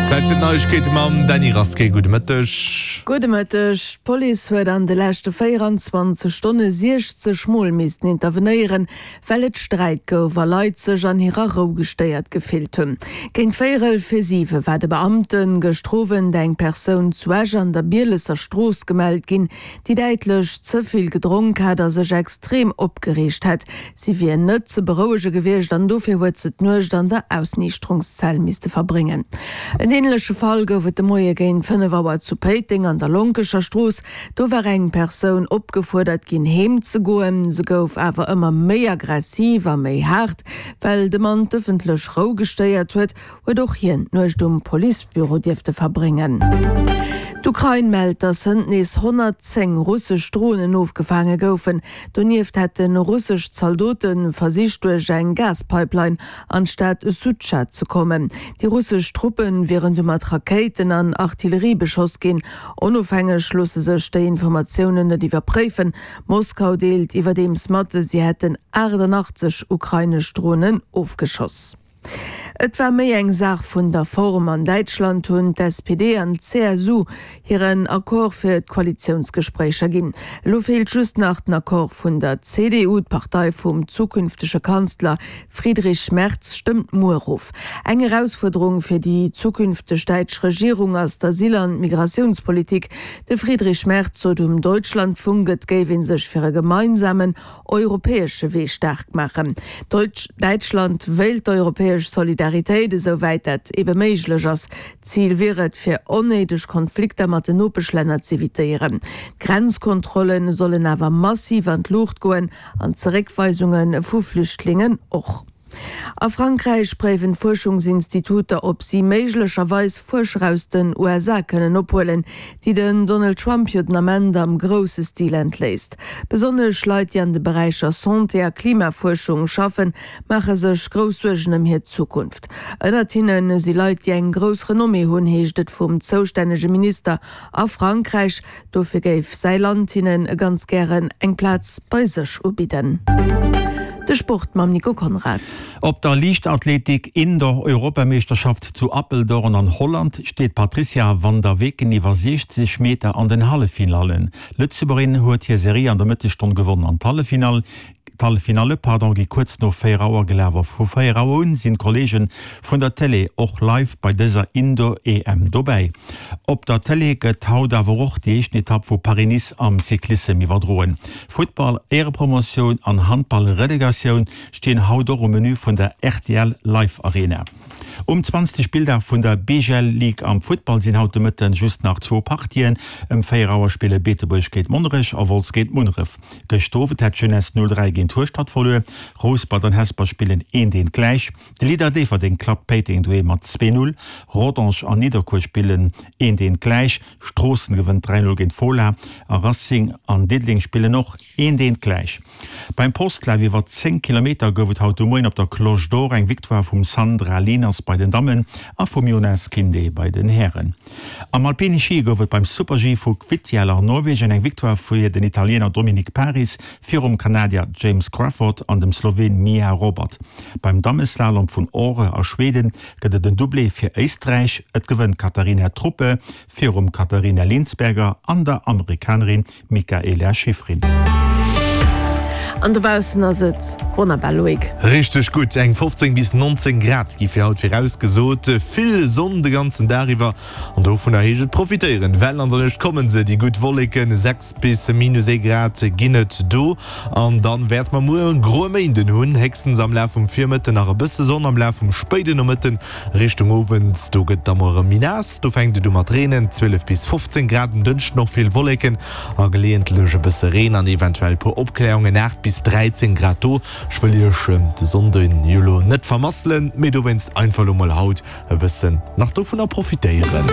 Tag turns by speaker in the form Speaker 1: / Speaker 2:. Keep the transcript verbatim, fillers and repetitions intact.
Speaker 1: Zäit fir d'Neiegkeete mam Dany Rasqué. Gudde Mëtteg.
Speaker 2: Gudde Mëtteg. D'Police huet an de leschte véieranzwanzeg Stonne siechzeg Mol missten intervenéieren, well et Sträit gouf a Leit sech an hirer Rou gestéiert gefillt hunn. Géint véierel fir siwe war de Beamte gëschter Owend eng Persoun zu Esch an der Bielesser Strooss gemellt ginn, déi däitlech ze vill gedronk hat a sech extrem opgereegt hätt. Si wier net ze berouege gewiescht an dofir huet se d'Nuecht an der Ausniichterungszell misste verbréngen. En änleche Fall gouf et de Moie géint fënnef Auer zu Péiteng an der Lonkecher Strooss. Do war eng Persoun opgefuerdert ginn, heem ze goen. Se gouf awer ëmmer méi aggressiv a méi haart. Well de Mann d'ëffentlech Rou gestéiert huet, huet och hien d'Nuecht um Policebüro dierfte verbréngen. D'Ukrain mellt, datt hënt nees honnertzéng russesch Dronen ofgefaange goufen. Donieft hätte russesch Zaldote versicht duerch eng Gaspipeline an d'Stad Sudscha ze kommen. Déi russesch Truppe wieren du mat Rakéiten an Artillerie beschoss ginn. Onofhängeg loosse sech déi Informatiounen net iwwerpréifen. Moskau deelt iwwerdeems mat, si hätten aachtannachtzeg ukrainesch Dronen ofgeschoss. Et war méi eng Saach vun der Form. An Däitschland hunn d'S P D an d'C S U hiren Accord fir d'Koalitiounsgespréicher ginn. Elo feelt just nach den Accord vun der C D U. D'Partei vum zukünftege Kanzler Friedrich Merz stëmmt muer of. Eng Erausfuerderung fir déi zukünfteg däitsch Regierung ass d'Asyl an d'Migratiounspolitik. De Friedrich Merz sot um Deutschlandfunk, et géif ee sech fir e gemeinsamen europäesche Wee staark maachen. Däitschland wéilt d'europäesch Solidaritéit, esou wäit dat ebe méiglech ass. Zil wier et, fir onnéideg Konflikter mat den Nopeschlänner z'evitéieren. D'Grenzkontrolle sollen awer massiv an d'Luucht goen an d'Zeréckweisunge vu Flüchtlingen och. A Frankräich préiwen d'Fuerschungsinstituter, ob si méiglecherweis Fuerscher aus den U S A kënnen ophuelen, déi den Donald Trump jo den Ament am grousse Stil entléisst. Besonnesch Leit, déi an de Beräicher Santé a Klimafuerschung schaffen, maache sech grouss Suergen ëm hir Zukunft. Ënnert hinne si Leit, déi eng grouss Renommée hunn, heescht et vum zoustännege Minister a Frankräich. Dofir géif säi Land hinnen ganz gären eng Plaz bei sech ubidden. De Sport mam Nico Conrad.
Speaker 3: Op der Liichtathletik Indoor-Europameeschterschaft zu Apeldoorn an Holland steet d'Patrizia van der Weken iwwer siechzeg Meter an den Halleffinallen. D'Lëtzebuergerin huet hir Serie an der Mëttesstonn gewonn an d'Halleffinall d'Halleffinalle pardon gi kuerz no véier Auer gelaf. Vu véier Auer un sinn d'Kolleege vun der Télé och live bei dëser Indoor-E M dobäi. Op der Télé gëtt haut awer och déi éischten Etapp vu Paris-Nice am Cyclissem iwwerdroen. Futtball Éierepromotioun an Handball Relegatioun stinn haut och um Menü vun der R T L Live Arena. Um zwanzegste Spilldag vun der B G L Ligue am Futtball sinn haut de Mëtten just nach zwou Partien. Ëm véier Auer spille Beetebuerg géint Monnerech a Wolz géint Munneref. Gëschter Owend hat d'Jeunesse null dräi géint Hueschtert verluer. Rouspert an Hesper spillen eent eent gläich. De Leader Déifferdeng klappt Péiteng doheem mat zwee null. Rodange an Nidderkuer spillen eent eent gläich. Stroossen gewënnt dräi null géint Fola a Racing an Diddeleng spillen och eent eent gläich. Beim Postlaf iwwer zéng Kilometer gouf et haut de Moien op der Cloche d'Or eng Victoire vum Sandra Lehners bei den Dammen a vum Jonas Kinde bei den Hären. Am Alpine Schi gouf et beim Super-G vu Kvitfjell an Norwegen eng Victoire fir den Italiener Dominik Paris virum Kanadier James Crawford an dem Sloween Miha Robert. Beim Dammeslalom vun Åre a Schweden gëtt et en Doublé fir Éisträich, et gewënnt d'Katharina Truppe virum Katharina Liensberger an der Amerikanerin Mikaela Shiffrin.
Speaker 2: An dobaussen ass et wonnerbar, Loïc.
Speaker 1: Richteg gutt, eng fofzéng bis nonzéng Grad gi fir haut virausgesot. Vill Sonn de ganzen Dag iwwer an dovunner heescht et profitéieren, well an der Nuecht kommen se, déi gutt Wolleken. Sechs bis minus ee Grad ginn et do an dann wäerte mer muer e groe Méinden hunn, héchstens am Laf vum Virmëtten nach e bësse Sonn, am Laf vum spéiden Nomëtten Richtung Owend, do gëtt et da mol erëm méi naass, do fänkt et u mat reenen. Zwielef bis fofzéng Grad. En Dënschden och vill Wolleken a geleeëntlech e bësse Reen an eventuell e puer Opkläerungen, aacht bis dräizéng Grad do. Ech wëll iech de Sonnden jo lo net vermasselen, mee dowéinst einfach lo mol haut e bëssen nach dovunner profitéieren.